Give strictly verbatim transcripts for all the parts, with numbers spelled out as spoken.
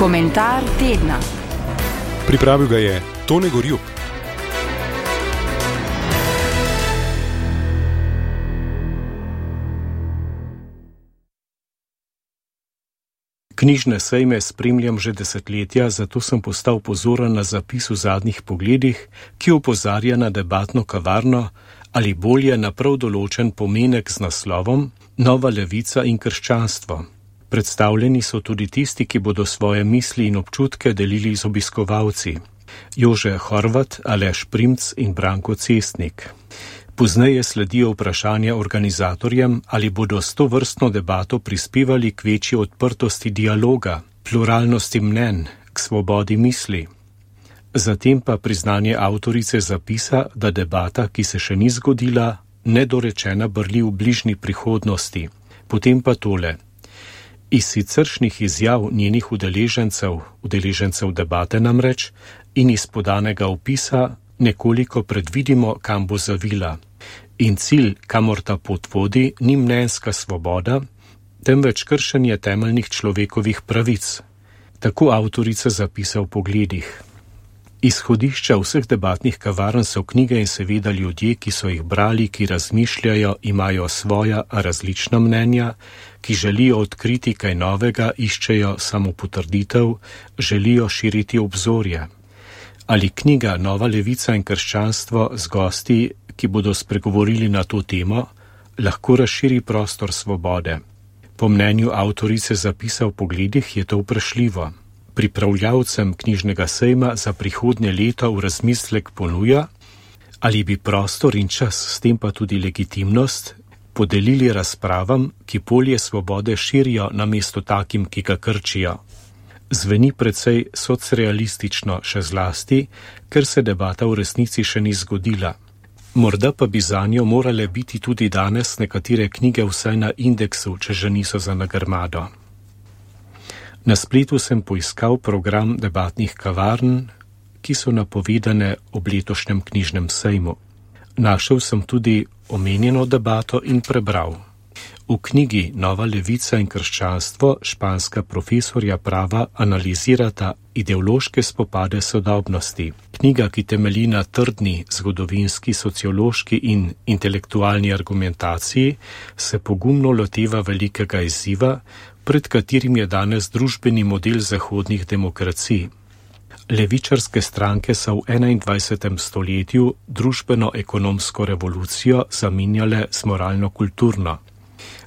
Komentar tedna. Pripravil ga je Tone Gorjup. Knjižne sejme spremljam že desetletja, zato sem postal pozoren na zapis v zadnjih pogledih, ki opozarja na debatno kavarno ali bolje na prav določen pomenek z naslovom Nova levica in krščanstvo. Predstavljeni so tudi tisti, ki bodo svoje misli in občutke delili z obiskovalci. Jože Horvat, Aleš Primc in Branko Cestnik. Pozneje sledijo vprašanja organizatorjem, ali bodo s to vrstno debato prispevali k večji odprtosti dialoga, pluralnosti mnenj, k svobodi misli. Zatem pa priznanje avtorice zapisa, da debata, ki se še ni zgodila, nedorečena brli v bližnji prihodnosti. Potem pa tole. Iz siceršnjih izjav njenih udeležencev, udeležencev debate namreč, in iz podanega opisa nekoliko predvidimo, kam bo zavila. In cilj, kamor ta pot vodi, ni mnenjska svoboda, temveč kršenje temeljnih človekovih pravic. Tako avtorica zapisa v pogledih. Izhodišča vseh debatnih kavarn so knjige in seveda ljudje, ki so jih brali, ki razmišljajo, imajo svoja različna mnenja, ki želijo odkriti kaj novega, iščejo samopotrditev, želijo širiti obzorje. Ali knjiga Nova levica in krščanstvo z gosti, ki bodo spregovorili na to temo, lahko razširi prostor svobode. Po mnenju avtorice zapisa v pogledih je to vprašljivo. Pripravljavcem knjižnega sejma za prihodnje leto v razmislek ponuja, ali bi prostor in čas, s tem pa tudi legitimnost, podelili razpravam, ki polje svobode širijo namesto takim, ki ga krčijo. Zveni precej socrealistično še zlasti, ker se debata v resnici še ni zgodila. Morda pa bi zanjo morale biti tudi danes nekatere knjige vsaj na indeksu, če že niso za nagrmado. Na spletu sem poiskal program debatnih kavarn, ki so napovedane ob letošnjem knjižnem sejmu. Našel sem tudi omenjeno debato in prebral. V knjigi Nova levica in krščanstvo španska profesorja prava analizirata ideološke spopade sodobnosti. Knjiga, ki temelji na trdni zgodovinski, sociološki in intelektualni argumentaciji, se pogumno loteva velikega izziva, pred katerim je danes družbeni model zahodnih demokracij. Levičarske stranke so v enaindvajsetem stoletju družbeno-ekonomsko revolucijo zamenjale s moralno-kulturno.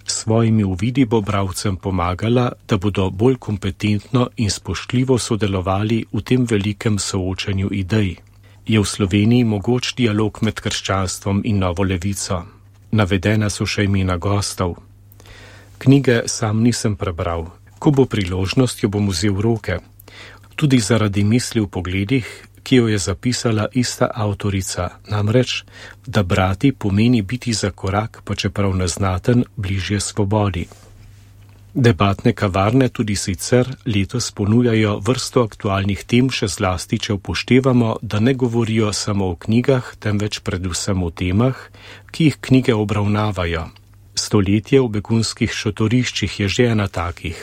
S svojimi uvidi bo bralcem pomagala, da bodo bolj kompetentno in spoštljivo sodelovali v tem velikem soočanju idej. Je v Sloveniji mogoč dialog med krščanstvom in novo levico. Navedena so še imena gostov. Knjige sam nisem prebral. Ko bo priložnost, jo bom vzel v roke. Tudi zaradi misli v pogledih, ki jo je zapisala ista avtorica, namreč, da brati pomeni biti za korak, pa čeprav neznaten, bližje svobodi. Debatne kavarne tudi sicer letos ponujajo vrsto aktualnih tem, še zlasti, če upoštevamo, da ne govorijo samo o knjigah, temveč predvsem o temah, ki jih knjige obravnavajo. Stoletje v begunskih šotoriščih je že ena takih.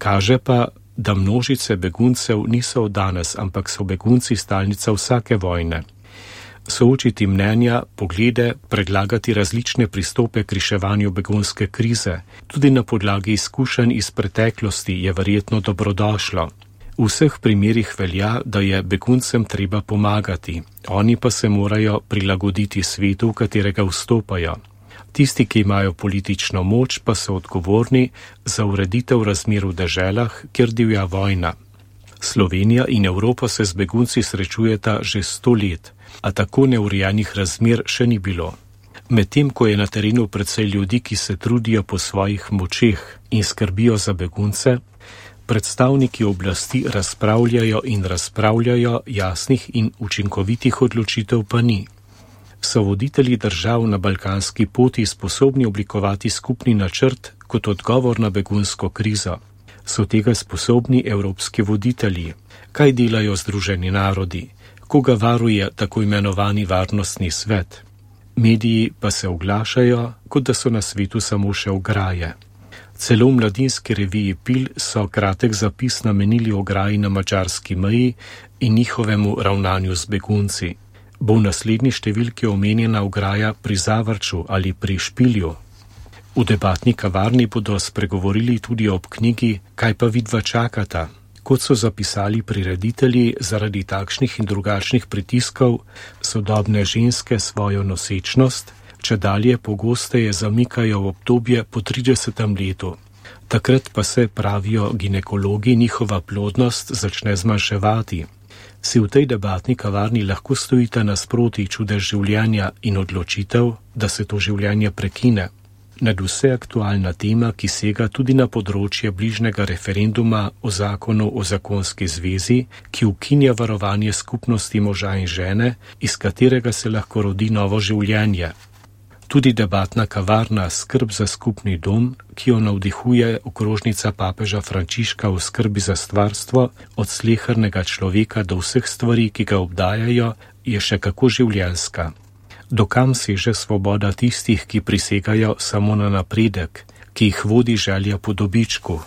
Kaže pa, da množice beguncev niso od danes, ampak so begunci stalnica vsake vojne. Soočiti mnenja, poglede, predlagati različne pristope k reševanju begunske krize, tudi na podlagi izkušenj iz preteklosti je verjetno dobrodošlo. V vseh primerih velja, da je beguncem treba pomagati, oni pa se morajo prilagoditi svetu, v katerega vstopajo. Tisti, ki imajo politično moč, pa so odgovorni za ureditev razmer v deželah, kjer divja vojna. Slovenija in Evropa se z begunci srečujeta že sto let, a tako neurejenih razmer še ni bilo. Medtem, ko je na terenu precej ljudi, ki se trudijo po svojih močeh in skrbijo za begunce, predstavniki oblasti razpravljajo in razpravljajo, jasnih in učinkovitih odločitev pa ni. So voditelji držav na balkanski poti sposobni oblikovati skupni načrt kot odgovor na begunsko krizo? So tega sposobni evropski voditelji? Kaj delajo Združeni narodi? Koga varuje tako imenovani varnostni svet? Mediji pa se oglašajo, kot da so na svetu samo še ograje. Celo v mladinski reviji Pil so kratek zapis namenili ograji na madžarski meji in njihovemu ravnanju z begunci. Bo v naslednji številki omenjena ograja pri Zavrču ali pri Špilju? V debatni kavarni bodo spregovorili tudi ob knjigi Kaj pa vidva čakata? Kot so zapisali prireditelji, zaradi takšnih in drugačnih pritiskov sodobne ženske svojo nosečnost čedalje pogosteje zamikajo v obdobje po tridesetem letu. Takrat pa se, pravijo ginekologi, njihova plodnost začne zmanjševati. Si v tej debatni kavarni lahko stojite nasproti čudež življenja in odločitev, da se to življenje prekine. Nadvse aktualna tema, ki sega tudi na področje bližnjega referenduma o zakonu o zakonski zvezi, ki ukinja varovanje skupnosti moža in žene, iz katerega se lahko rodi novo življenje. Tudi debatna kavarna Skrb za skupni dom, ki jo navdihuje okrožnica papeža Frančiška v skrbi za stvarstvo, od slehernega človeka do vseh stvari, ki ga obdajajo, je še kako življenjska. Dokam seže svoboda tistih, ki prisegajo samo na napredek, ki jih vodi želja po dobičku?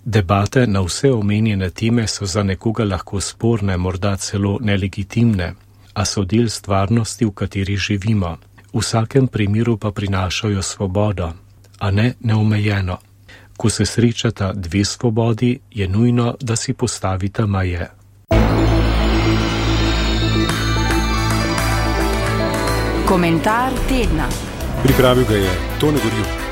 Debate na vse omenjene teme so za nekoga lahko sporne, morda celo nelegitimne, a so del stvarnosti, v kateri živimo. V vsakem primeru pa prinašajo svobodo, a ne neomejeno. Ko se srečata dve svobodi, je nujno, da si postavita meje. Komentar tedna. Pripravil ga je Tone Gorjup.